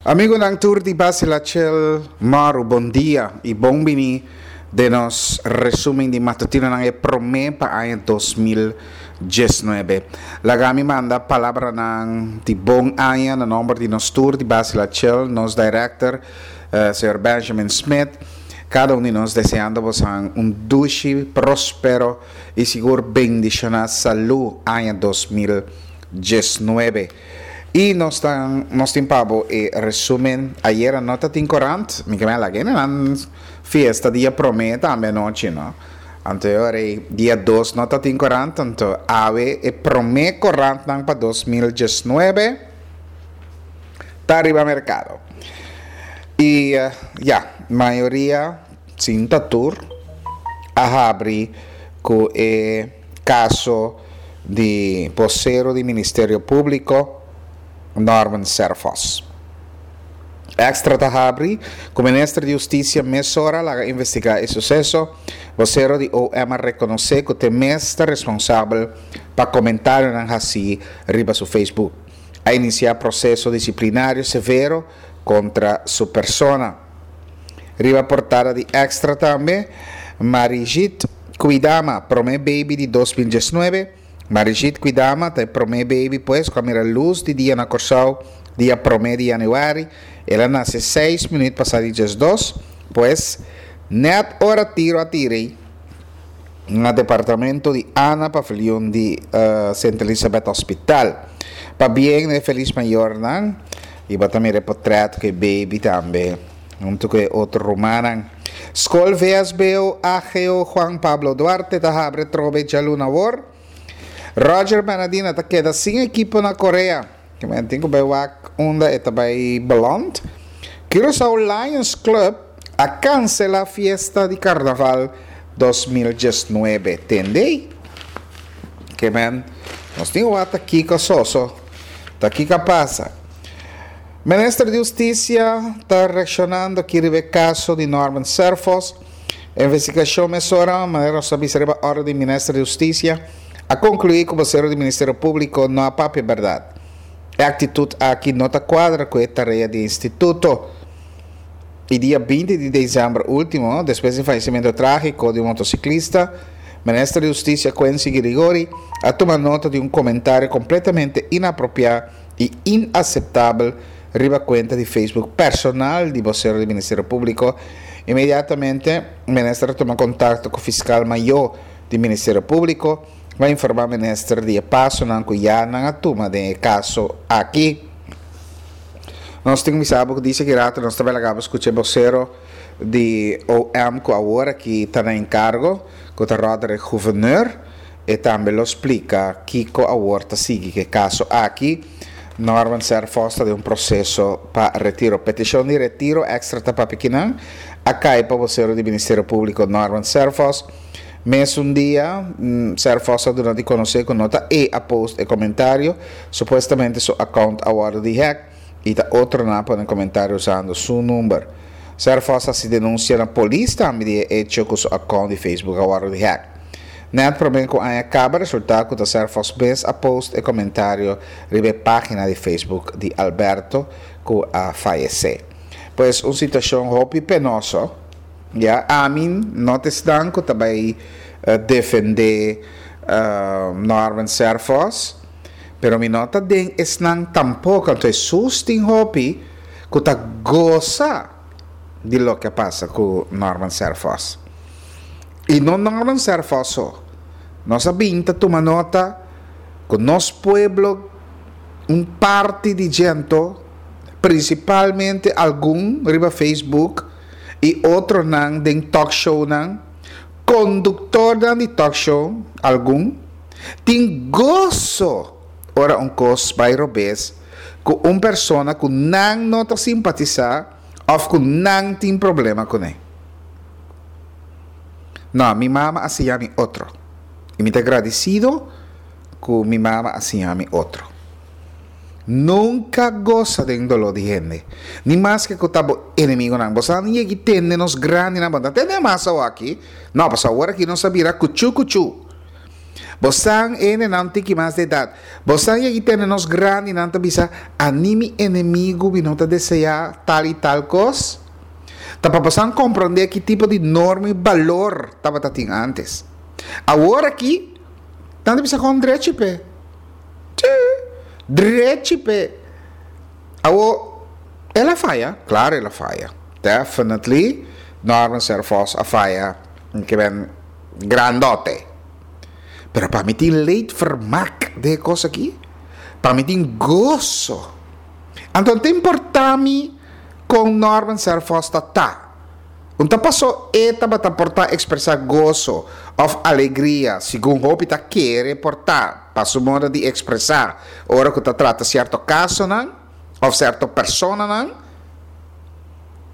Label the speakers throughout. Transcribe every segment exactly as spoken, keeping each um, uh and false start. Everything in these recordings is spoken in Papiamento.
Speaker 1: Amigonan tur di Basila Chel Maru, bon dia i bon bini den nos resumen di matutinonan e promé pa aña dos mil diesnuebe. Laga mi manda palabranan di bon aña na nomber di nos tur di Basila Chel, nos director, señor Benjamin Smith, kada un di nos deseando bosan un dushi, prospero i sigur bendishoná salú aña dos mil diesnuebe. I nos ta nos tin pa bo e resumen. Ayera no ta tin korant, mi ke men a laga e nan fiesta dia promé tambe anochi no. Anto e ora ei dia dos no ta tin korant, anto awe e promé korantnan pa dos mil diesnuebe ta riba merkado. I ya, mayoria, sin ta tur, a habri ku e kaso di bosero di Ministerio Públiko, Norman Serphos. Extra ta habri ku Minister di Hustisia mesora laga investigá e suseso. Bosero di O M a rekonosé ku te mes ta responsabel pa komentarionan hasí riba su Facebook. A inisiá proseso disiplinario severo kontra su persona. Riba portada di Extra tambe, Marijit Kwidama, promé baby di dos mil diesnuebe. Marijit Kwidama ta e promé baby pues ku a mira lus di dia na Kòrsou dia promé di yanüari. El a nase seis minüt pasá di diesdos, pues nèt ora tiro a tira ei na departamento di Ana Paviljoen di Sint Elisabeth Hospital. Pabien na e felis mayornan i bo ta mira e potrèt ku e baby tambe huntu ku e otro rumannan. Skol V S B O A G O Juan Pablo Duarte ta habri atrobe djaluna awor. Roger Bernadina ta keda sin ekipo na Korea. Ke men tin ku bai wak unda e ta bai beland. Curaçao Lions Club a kansela fiesta di karnaval dos mil diesnuebe. Tende? Ke men nos tin wak ta kiko soso. Ta kiko a pasa. Minister di Hustisia ta reakshonando aki riba e kaso di Norman Serphos. Investigashon mesora, manera nos a bisa riba orde di Minister di Hustisia, a konkluí ku bosero di Ministerio Públiko no a papia bèrdat. E aktitut aki no ta kuadra ku e tarea di e instituto. I dia binti di desèmber último, despues di fayesimentu trágiko di un motosiklista, Minister di Hustisia Quincy Girigorie a tuma nota di un komentario kompletamente inapropiá i inaseptabel riba kuenta di Facebook personal di bosero di Ministerio Públiko. Inmediatamente Minister a tuma kontakto ku Fiskal Mayó di Ministerio Públiko pa informá Minister di e pasonan ku ya nan a tuma den e kaso aki. Nos tin bisa bo ku dice ki rato nos ta bai laga bo skucha e bosero di O M ku awor aki ta na enkargo, ku ta Roderick Gouverneur. E tambe lo splika kiko awor ta sigui ku e kaso aki. Norman Serphos ta den un proseso pa retiro. Petishon di retiro Extra ta papia kinan a kai pa bosero di Ministerio Públiko Norman Serphos. Mesun dia Serphos a duna di konosé ku no ta e a post e komentario. Supuestamente su account a wòrdu di hack i ta otronan a pone komentario usando su number. Serphos a hasi denunsia na polis tambe di e echo ku su account di Facebook a wòrdu di hack. Nèt promé ku aña kaba resultá ku ta Serphos mes a post e komentario riba e página di Facebook di Alberto ku a fayesé. Pues un situashon hopi penoso. Ya, ami no ta esnan ku ta bai defendé Norman Serphos, pero mi no ta den esnan tampoko. Anto Hesus tin hopi ku ta gosa di loke a pasa ku Norman Serphos. I no Norman Serphos so. Nos a bin ta tuma nota ku nos pueblo un parti di dje anto, prinsipalmente algun riba Facebook i otronan den talk shownan, konduktornan di talk show, algun, tin goso ora un kos bai robes ku un persona ku nan no ta simpatisá òf ku nan tin problema kuné. No, mi mama a siña mi otro. I mi ta gradisido ku mi mama a siña mi otro. Nunka gosa den doló di hende, ni maske ku ta bo enemigonan. Bo sa ni yegi tende nos grandinan, bo no ta tende mas awor aki. No, pasobra awor aki nos a bira kuchu kuchu. Bosan ene nan tiki mas de edad. Bosan yegi tene nos grandi nan ta bisa animi enemigo mi no ta desea tal y tal cos. Ta pa bosan comprende ki tipo di norma y balor tabata tin antes. Awor aki nan ta bisa con drechi pe. Tje, drechi pe. Awor el a faya, claro el a faya. Definitely Norman Serphos a faya ke ben grandote. Pero pa mi tin leedvermaak de cos aki. Pa mi tin gozo. Anto no ta importa mi con Norman Serphos ta ta. Un ta paso e tabata por ta expresa gozo of alegria segun hopi ta kere por ta pa su modo di expresa ora cu ta trata cierto casonan of cierto personanan.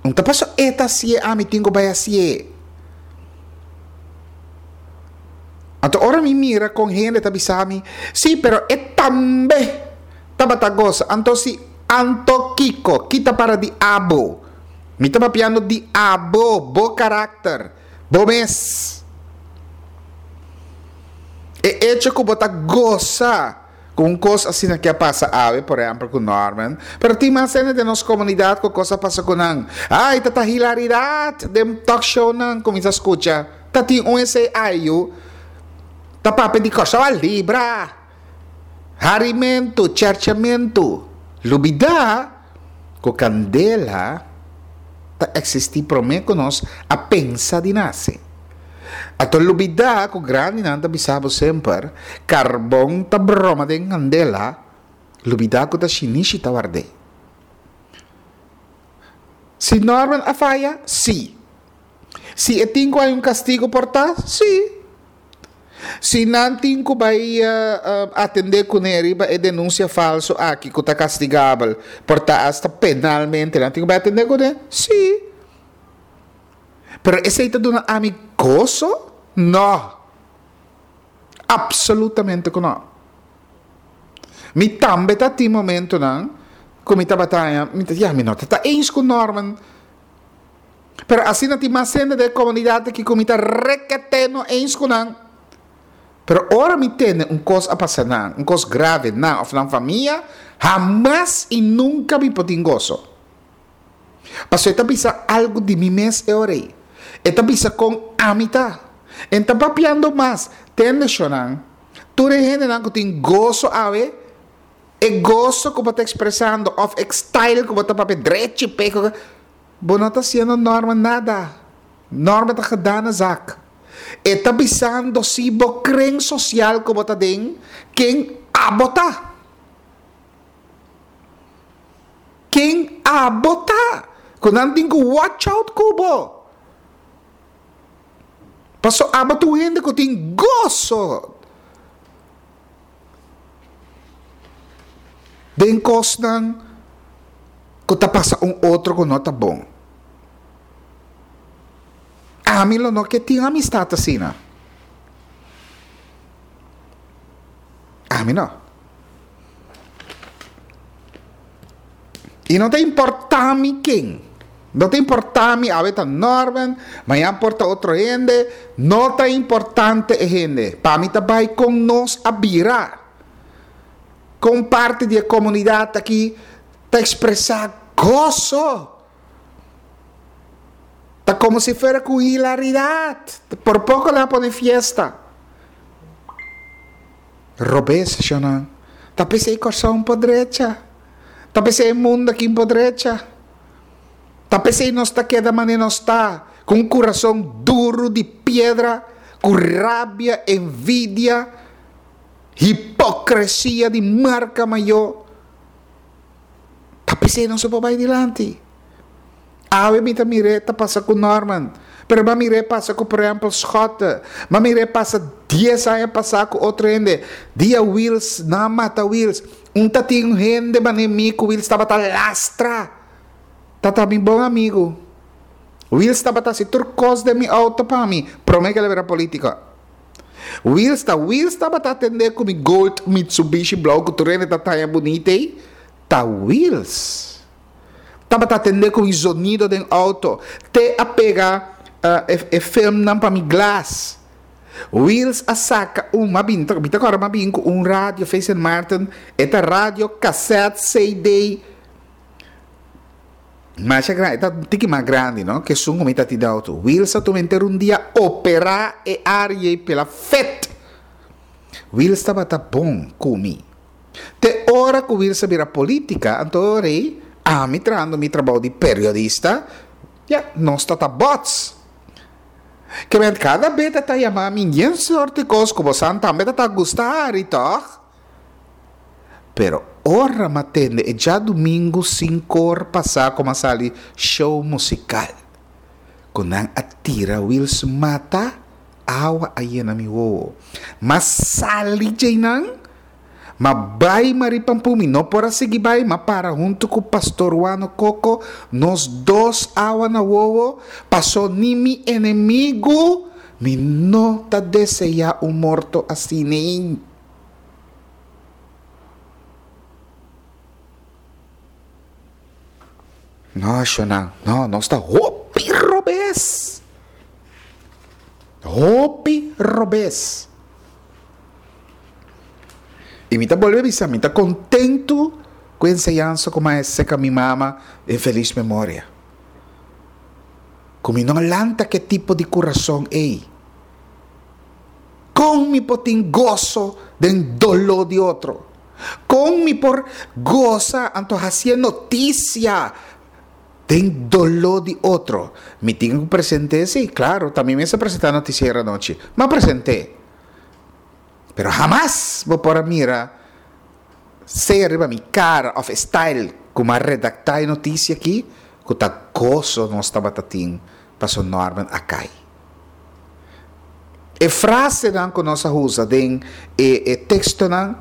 Speaker 1: Un ta paso e ta hacié, ami tin cu bay hacié. Anto ora mi mira con hende ta bisa mi, sí, pero e tambe tabata goza. Anto si, anto kiko, kita para di abo. Mi ta papiando di abo, bo karakter, bo mes. E hecho ku bo ta goza ku un kos asina ke a pasa awe, por ehempel ku Norman, pero tin mas hende den nos komunidat ku kos a pasa ku nan. Ai, ta ta hilaridat den talk show nan kuminsa skucha. Ta tin un esei ayu ta papia di Kòrsou a libra. Harimentu, cherchamentu. Lubidá ku kandela ta eksistí promé ku nos a pensa di nase. Anto lubidá ku grandinan ta bisa bo semper, karbon ta broma den kandela, lubidá ku ta shinishi ta ward'é. Si Norman a faya? Sí. Si e tin ku hay un kastigo por ta? Sí. Si nan tin ku bai atendé kuné riba e denunsia falso aki ku ta kastigabel, por ta asta penalmente, nan tin ku bai atendé kuné? Sí. Pero esei ta duna ami goso? No. Absolutamente ku no. Mi tambe ta tin momentonan ku mi tabata haña, mi ta, ya, mi no ta ta eens ku Norman. Pero asina tin mas hende den e komunidat aki ku mi ta rekete no eens ku nan. Pero ora mi tende un kos a pasa nan, un kos grave nan òf nan famia, hamas i nunka mi por tin goso. Pasobra e ta bisa algu di mi mes e ora ei. E ta bisa kon ami ta. E ta papiando mas. Tende shonnan, tur e hendenan ku tin goso awe, e goso ku bo ta ekspresando òf e style ku bo ta papia drechi p'e, bo no ta hasiendo Norma nada. Norma ta gedane zak. E ta bisando si bo kren sosial ku bo ta den, ken abo ta. Ken abo ta. Ku nan tin ku watch out ku bo. Paso abo ta un hende ku tin goso den kosnan ku ta pasa un otro ku no ta bon. Ami lo no ke tin amistad asina. Ami no. I no ta importa mi ken. No ta importa mi awe ta Norman, mañan por ta otro hende. No ta importante e hende. Pa mi ta bai kon nos a bira. Kon parti di e komunidat aki ta ekspresá goso. Ta komo si fuera ku hilaridat. Por poko nan a pone fiesta. Robes, shonnan. Ta p'esei Kòrsou por drecha. Ta p'esei e mundu aki por drecha. Ta p'esei nos ta keda manera nos ta, ku un kurason duru di piedra, ku rabia, envidia, hipokresia di marka mayó. Ta p'esei nos no por bai dilanti. Awe mi ta mir'é ta pasa ku Norman, pero mi a mir'é pasa ku por ehèmpel Schotte, mi a mir'é pasa dies aña pasá ku otro hende, dia Wiels, nan a mata Wiels, un ta tin un hende manera mi ku Wiels tabata lastra, ta ta mi bon amigu. Wiels tabata hasi tur kos den mi outo pa mi, promé ku el a bira polítiko. Wiels ta Wiels tabata atendé ku mi Gold Mitsubishi blou ku tur hende ta taña bunita ei, ta Wiels. Tabata atendé ku mi zonido den outo, te a pega e filmnan pa mi glas. Wiels a saca un mabin, mi ta corda mabin cu un radio Face Saint Martin, e ta radio cassette C D. Masha grande, ta tiki mas grande, no? Que sun mi ta ti auto. Wiels a tuma enter un dia opera e area pela fet. Wiels tabata bon cu mi. Te ora cu Wiels a bira politica, anto rei, a mi trahando mi trabou di periodista, ja, nos tata bots. Que men cada beta ta yama mi yen sorte cos como santa beta ta gustar y toch. Pero ora matende e já domingo cinco or passa como sali show musical. Kunan atira Wiels mata awa ayena mi wowo. Mas sali jainan ma bai maripampumi no por seguir bai ma para junto com pastor Wano Coco nos dos awa na wowo passou ni mi enemigo mi no ta deseja un morto assim nem. No, Shona, no, no está hopi robes. Hopi robes. E mi ta volve bisa, mi ta contento com enseñanza como é seca mi mama en feliz memoria. Como no lanta que tipo de corazón ei. Con mi potin gozo den dolor de otro. Con mi por goza anto haciendo noticia den dolor de otro. Mi tengo presente, sí, claro, también me se presenta noticiero anoche. Me presenté. Pero jamás voy por mira se arriba mi cara of style como a redactar noticia aquí que ta gozo no estaba tatin paso Norman acai. E frase dan que nós usa den e, e texto nan,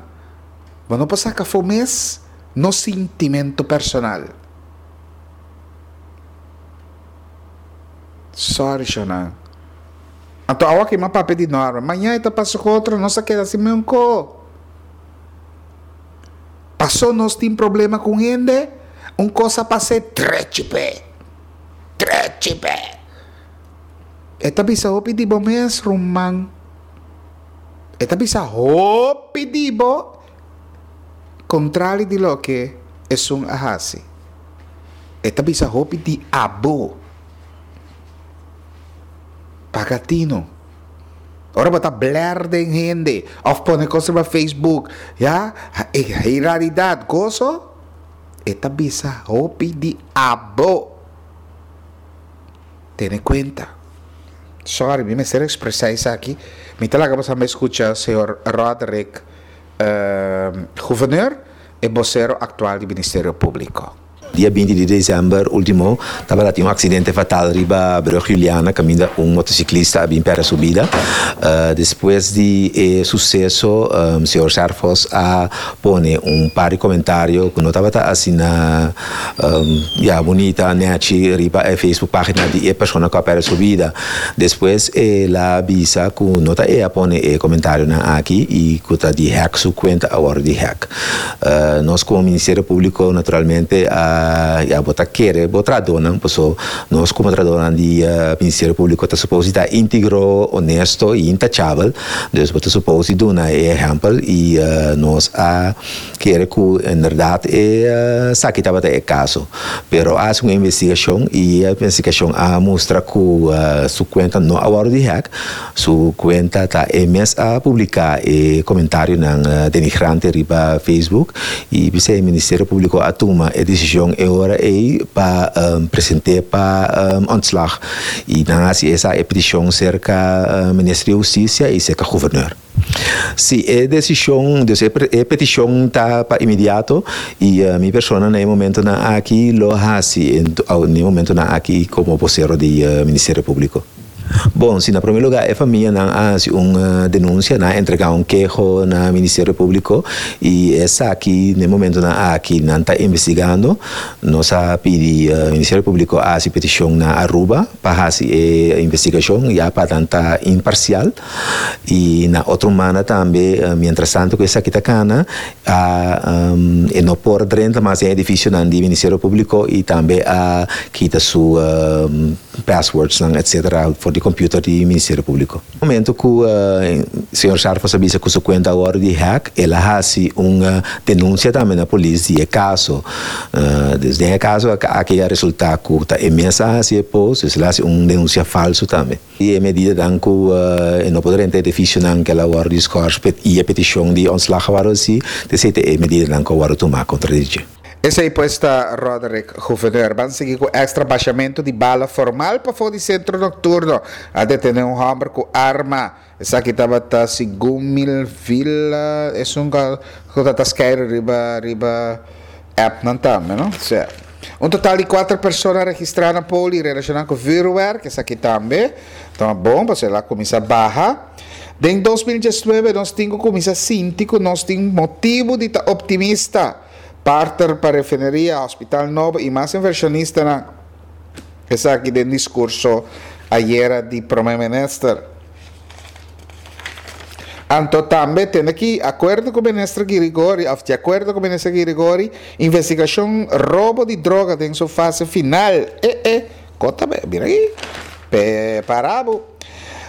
Speaker 1: bueno pasa que foi mes no sentimento personal. Sorry, Shona. Anto awa que ma pape di Norman. Mañana ita paso com outro, nossa queda assim mesmo co. Passou nós tem problema com gente, um cosa passe trechipe. Trechipe. Eta bisa hopi di bo mes rumang. Eta bisa hopi di bo contrari di lo que es un ahasi. Eta bisa hopi di abo. Pagatino. Ora bota bler den gente of pone cosa pa Facebook, ya, hilaridad, gozo. Eta bisa hopi di abo. Tene cuenta. Sorry, mi me ser expresa aqui. Mi talaga pa me escucha señor Roderick uh, Gouverneur e vocero actual do Ministério Público.
Speaker 2: Dia vinte de dezembro último, estava um acidente fatal riba Brug Juliana, caminha um motociclista a bem para a subida. Uh, depois de eh, sucesso, um, senhor Serfos a pone um par de comentário que não estava assim na um, ja, bonita, nechi riba a Facebook página de pessoa que para a subida. Depois ela avisa que não está ela pone eh, comentário na aqui e que está de hack sua conta agora de hack. Uh, nós como Ministério Público naturalmente a Uh, ja, bota querer, bota dona, pois nós como dona de uh, Ministério Público está suposto estar íntegro, honesto e intachável, dus bota suposto dona é exemplo e uh, nós a querer que em verdade é uh, sabe que estava é caso, pero há uma investigação e a investigação a mostra que uh, sua conta não agora de hack, sua conta está é mes a publicar e comentário na uh, denigrante riba Facebook e o Ministério Público a toma a decisão e ora é para um, apresentar para um, ontslag. E dan hasi essa petição cerca uh, Ministério de Justiça e cerca governador. Sí, é decisão, dus é petição tá para imediato e uh, mi persona no momento na aqui lo hasi, no momento na aqui como vocero do uh, Ministério Público. Bom, se na primeiro lugar a família não faz uma denúncia, não entregar um queijo no Ministério Público e essa aqui, no momento na aqui não está investigando, nós pedi o Ministério Público a petição na Aruba para fazer a investigação já para tanta imparcial e na outra mana também, mientras tanto que essa aqui está cana, a um, e não por dentro mas é edifício do Ministério Público e também a quita sua um, Passwords nan et cetera for di computer di Ministerio Publico. Momento cu uh, señor Sarfos a bisa cu su cuenta a wordo di hack, el a haci un uh, denuncia tambe na polis di e caso. Uh, desde e caso aki a resulta cu ta e mes a haci post, el a haci un denuncia falso tambe. E medida cu uh, no por drenta edificio nan cu el a wordo geschorst y e peticion di ontslag a wordo si, desde e medida nan cu a wordo tuma contra dje.
Speaker 1: Esey pues ta Roderick Gouverneur. Ban sigui cu extra bashamento di bala formal pa di centro nocturno. A detene un homber cu arma. Esaki tabata segun mil villa. E un cu ta riba riba app nan tambe, no? Certo. Un total di cuater persona registra na poli relaciona cu vuurwerk, esaki tambe. Anto, bon, pa el a cuminsa baha. Den dos mil diesnuebe nos tin cu cuminsa sinti cu nos tin motibo di ta optimista. Partner pa refineria, hospital nobo y mas inversionista na esaki den discurso ayera di Prome Minister. Anto tambe tin aki acuerdo cu Minister Girigori, of di acuerdo cu Minister Girigori, investigacion robo di droga den su fase final. Eh, eh, conta mira ey. Prepara bo.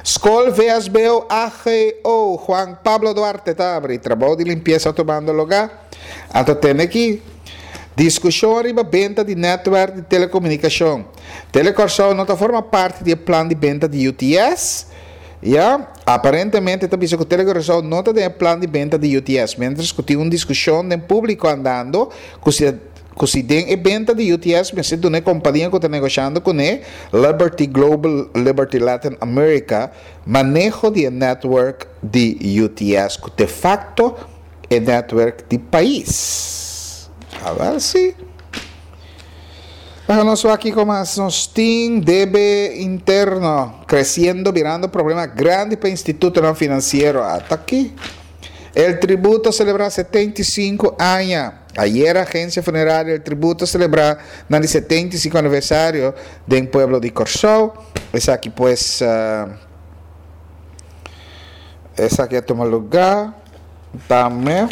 Speaker 1: Scol V S B O A G O Juan Pablo Duarte ta habri, trabou di limpiesa tumando luga. Anto tin aki discusion riba benta di network di telecomunicacion. Telecorsou no ta forma parti di plan di benta di U T S. Ya, aparentemente ta bisa cu Telecorsou no ta den plan di benta di U T S, mientras cu tin un discusion den publico andando, cu si cu si den e benta di U T S, mester duna e compania cu ta negoshando cu ne, Liberty Global, Liberty Latin America, maneho di network di U T S, cu de facto e network di pais. A ver si. Bueno, nos aki cu mas nos tin debe interno creciendo, birando problema grandi pa instituto financiero. Hasta aki. El Tributo celebra setenta y cinco aña. Ayera Agencia Funeraria El Tributo a celebra e setenta y cinco aniversario di pueblo di Corsou. Esaki pues uh, esaki a tuma luga tambe.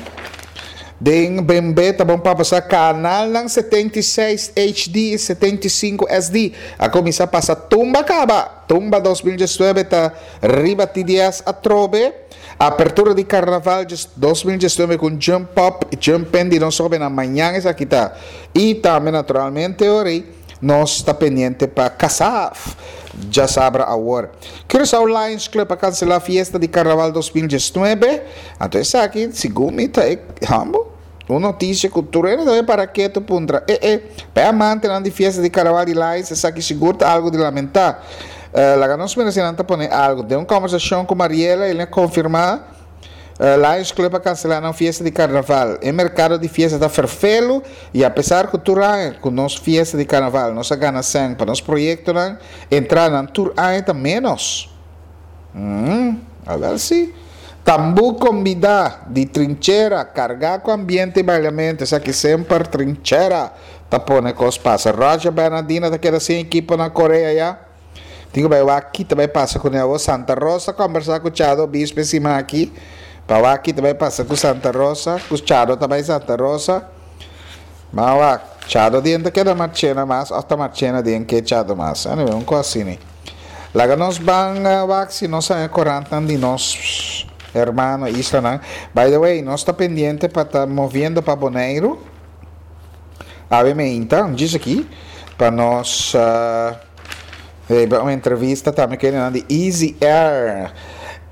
Speaker 1: Den B M B ta bon pa pasa canal nan setenta y seis H D setenta y cinco S D. A cuminsa pasa Tumba caba. Tumba dos mil diesnuebe ta riba T D S atrobe. Apertura di Carnaval dos mil diesnuebe cu Jump Up y Jump In di nos na mañan esaki ta. Y tambe naturalmente ori nos ta pendiente pa Casaf. Diasabra awor. Curaçao Lions Club a cancela fiesta di Carnaval dos mil diesnuebe. Anto esaki, segun mi ta, hambo. Un noticia cultural tambe pa keto puntra. Eh, eh, pa amante di fiesta di Carnaval di Lions, esaki sigur ta algo di lamenta. Uh, laga nos mencionando pone algo. Den un conversacion cu Mariela, el a confirma uh, Lions Club a cancela e fiesta di Carnaval. E mercado di fiesta ta ferfelo y apesar cu tur aña, cu nos fiesta di Carnaval, nos a gana cen pa nos proyecto, entrada nan tur aña ta menos. Hum, a ver si. Tambu combina di Trinchera, carga cu ambiente y bailamento, esaki semper Trinchera. Ta pone cos pasa. Roger Bernardina ta keda sin ekipo na Korea ya. Digo, bay aki tambe pasa cu e Santa Rosa combersa cu Chado Bispe siman aki. Pa aki tambe pasa cu Santa Rosa, cu Chado tambe Santa Rosa. Mas Chado diente keda Marchena mas, hasta Marchena dien que Chado mas. Anyway, un cos asina. Laga nos ban uh, si nos sa corant di nos hermano isla. By the way, nos ta pendiente pa ta moviendo pa Boneiro. Ave meinta, diz aki, pa nos uh, un entrevista tambe cu di Easy Air.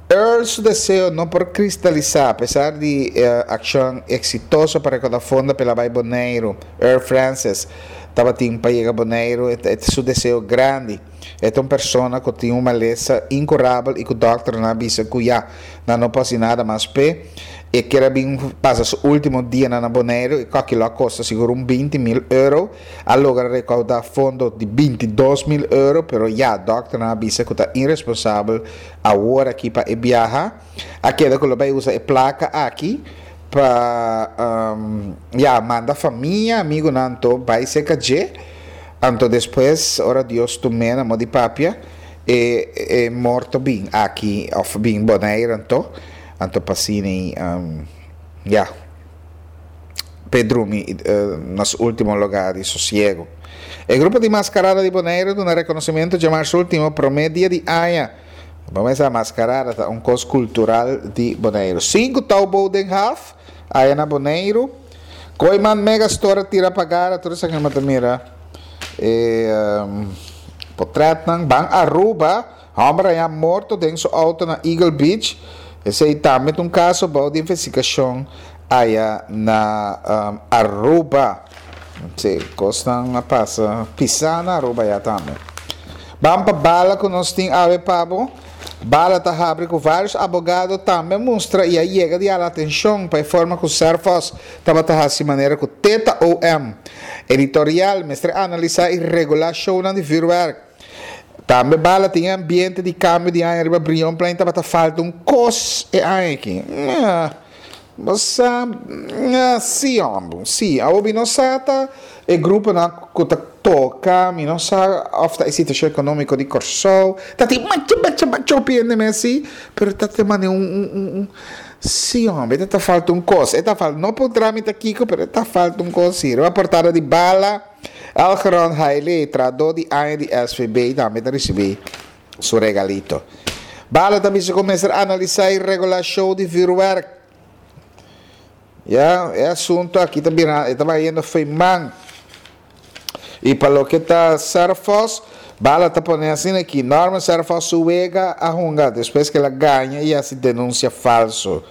Speaker 1: Earl su deseo no por cristalisa, apesar di uh, accion exitoso pa recauda fondo pa bay Boneiro. Earl Francis tabatin pa yega Boneiro, e su deseo grandi. E ta un persona cu tin un malesa incurabel y cu e dokter a bisa cu ya no por nada mas p'e y kier bin pasa su ultimo dia na Boneiro y esaki a costa sigur un binti mil euro. A logra recauda fondo di bintidos mil euro, pero ya dokter a bisa cu ta irresponsabel awor aki pa biaha. Aki cu lo bay usa e placa aki pa um, ya manda famia, amigo nanto bay serca dje, anto despues ora Dios tum'e, na moda di papia, e, e morto bin aki of bin Boneiro, anto anto pa asina um, ya p'e drumi uh, na su ultimo luga di sosiego. E grupo di maskarada di Boneiru a duna rekonosementu djamars último, promé dia di aña. Ban pensa, maskarada ta un kos kultural di Boneiru. Sinku touwboot den haf, aya na Boneiru. Kooyman Megastore a tira pa gara, tur esaki mi ta mira e um, potretnan. Ban Aruba, hòmber a haña morto den su outo na Eagle Beach. Esei tambe ta un kaso bou di investigashon aya na um, Aruba. Sí, kosnan a pasa pisá na Aruba ya tambe. Ban pa Bala ku nos tin awe pa bo. Bala ta habri ku vários abogado tambe a mustra i a yega di hala atenshon pa e forma ku Serphos tabata hasi manera ku teta O M. Editorial mester analisá i regulá shownan di vürwèrk. Tambe Bala tin e ambiente di kambio di aña riba Brionplein tabata falta un kos e aña aki. Bo sa, sí hombre, sí. Awor mi no sa ta e gruponan ku ta toka, mi no sa of ta e situashon ekonómiko di Kòrsou. Ta tin macha, macha, macha hopi hende mes sí, pero ta te mane un, un, un, un, sí hombre, e ta falta un kos. E ta falta, no por trámite kiko, pero e ta falta un kos sí. Riba portada di Bala, Elgeron Haile, trahadó di aña di S V B, tambe ta risibí su regalito. Bala ta bisa ku mester analisá i regulá show di vürwèrk. Ya, e asunto aki ta bira, e ta bayendo fo'i man. I pa loke ta Serphos, Bala ta pone asina aki, Norman Serphos su wega a hunga despues ke el a gaña i hasi denunsia falso.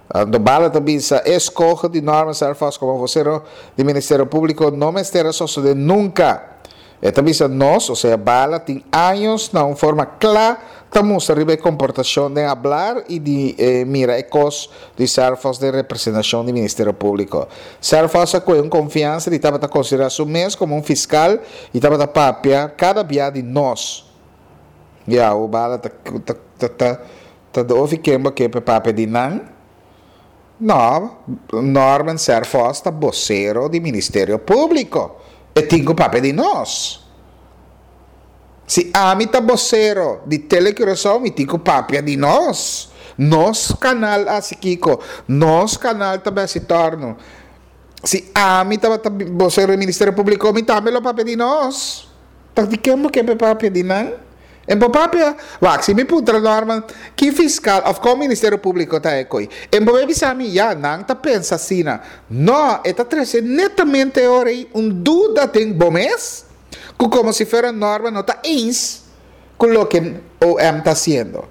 Speaker 1: Anto Bala ta bisa, e eskoho di Norman Serphos komo vocero di Ministerio Públiko no mester a sosode nunka. E ta bisa nos, osea Bala, tin años na un forma kla ta mustra riba e komportashon den hablar i di mira e kos di Serphos den representashon di Ministerio Públiko. Serphos a kohe un konfiansa di tabata konsiderá su mes komo un fiskal i tabata papia kada bia di nos. Ya, o Bala ta ta ta ta ta de ofi ken bo ke pa papia di nan? No, Norman Serphos ta bosero di Ministerio Públiko. E tin ku papia di nos. Si ami ta bosero di Tele Curaçao, mi tin ku papia di nos. Nos kanal a hasi kiko, nos kanal ta besi torno. Si ami tabata bosero di Ministerio Públiko, mi tambe lo papia di nos. Ta di ken bo ke pa papia di nan? En bo papia, wak, si mi puntra Norman, ki fiskal òf kon Ministerio Públiko ta e koi? En bo bai bisa mi, ya, nan ta pensa asina. No, e ta trese netamente e ora ei un duda den bo mes, ku komo si fuera Norman no ta eens ku loke O M ta hasiendo.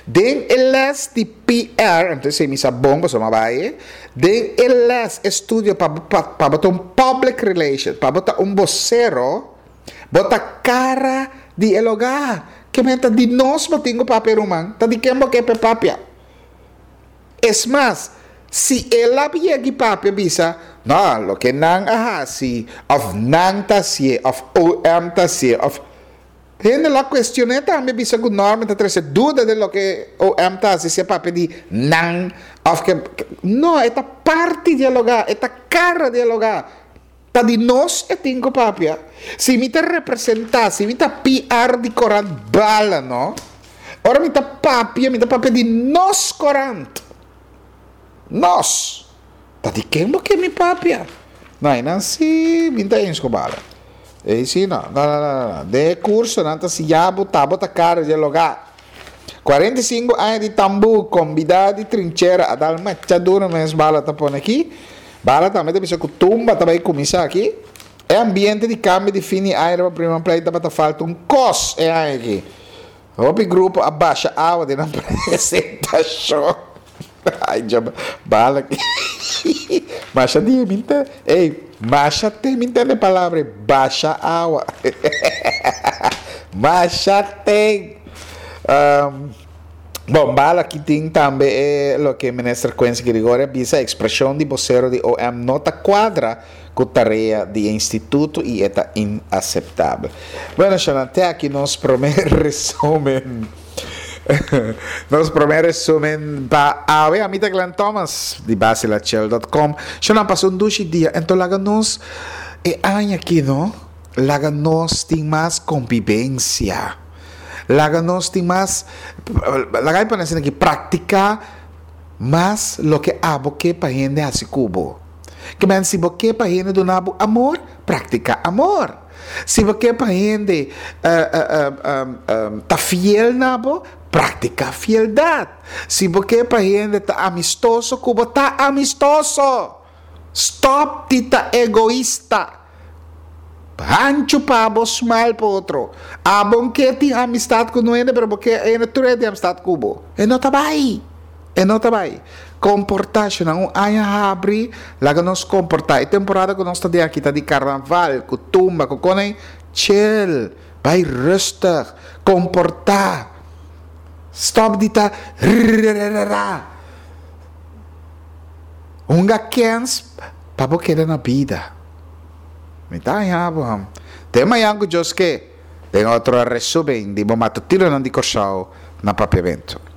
Speaker 1: Den e les di P R, entonces si mi sa bon, pasobra mi a bai, den e les estudio pa, pa, pa bo ta un public relation, pa bo ta un bosero, bo ta cara di e logá. Ke men ta di nos bo tin ku papia, ruman. Ta di ken bo ke pe papia? Es mas, si el a yega i papia bisa, no, loke nan a hasi, of nan ta hasié, of O M ta hasié, of hende lo a kuestion'é tambe bisa ku Norman ta trese duda den loke O M ta hasi, si e papia di nan, of ke, no, e ta parti di e logá, e ta kara di e logá. Ta di nos e tin ku papia. Si mi ta representá, si mi ta P R di korant Bala, no? Ora mi ta papia, mi ta papia di nos korant. Nos. Ta di ken bo ke mi papia? No, einan si mi ta eens ku Bala. Ei si no. No, no, no, no, no. Den e kurso nan ta siña bo ta bo ta kara di e logá. Kuarenta i sinku aña di tambú, kombidá di trinchera a dal macha duro mes Bala ta pone aki. Bala tambe ta bisa ku tumba ta bai kuminsá aki. E ambiente di kambio di fin di aña riba Prima Plein tabata falta un kos e aña aki. Hopi grupo a basha awa den nan presentashon. Ai, dja Bala ki. Masha dia mi ta, ey, masha te mi ntende palabra ei, basha awa. Masha te. Um, bon, Bala ki tin tambe e loke minister Quincy Girigorie a bisa, ekspreshon di bosero di O M no ta kuadra ku tarea di e instituto i e ta inaseptabel. Bueno, Shanan, te aki nos promé resumen. Nos promé resumen pa awe. Ami ta Glenn Thomas di Basilachel dot com. Shanan, pasa un dushi dia. Ento laga nos e aña aki, no? Laga nos tin mas konvivensia. Laga nos tin mas, laga mi pone asina aki, praktiká mas loke abo ke pa hende hasi ku bo. Ke men si bo ke pa hende duna bo amor, praktiká amor. Si bo ke pa hende uh, uh, uh, um, ta fiel na bo, praktiká fieldat. Si bo ke pa hende ta amistoso ku bo, ta amistoso. Stòp di ta egoista. Hanchu pa bo, smal pa otro. Abo n' ke tin amistat ku hende, pero bo ke hende tur tin amistat ku bo. E no ta bai. E no ta bai. Komportashon, un aña a habri, laga nos komportá. E temporada ku nos ta aki ta di karnaval, ku tumba, ku kos, chill, bai rustig, komportá. Stòp di ta hunga kens pa bo keda na bida. Mi ta haña. Te mañan ku Dios ke. Den otro resumen di bo matutinonan di Kòrsou na Papiamento.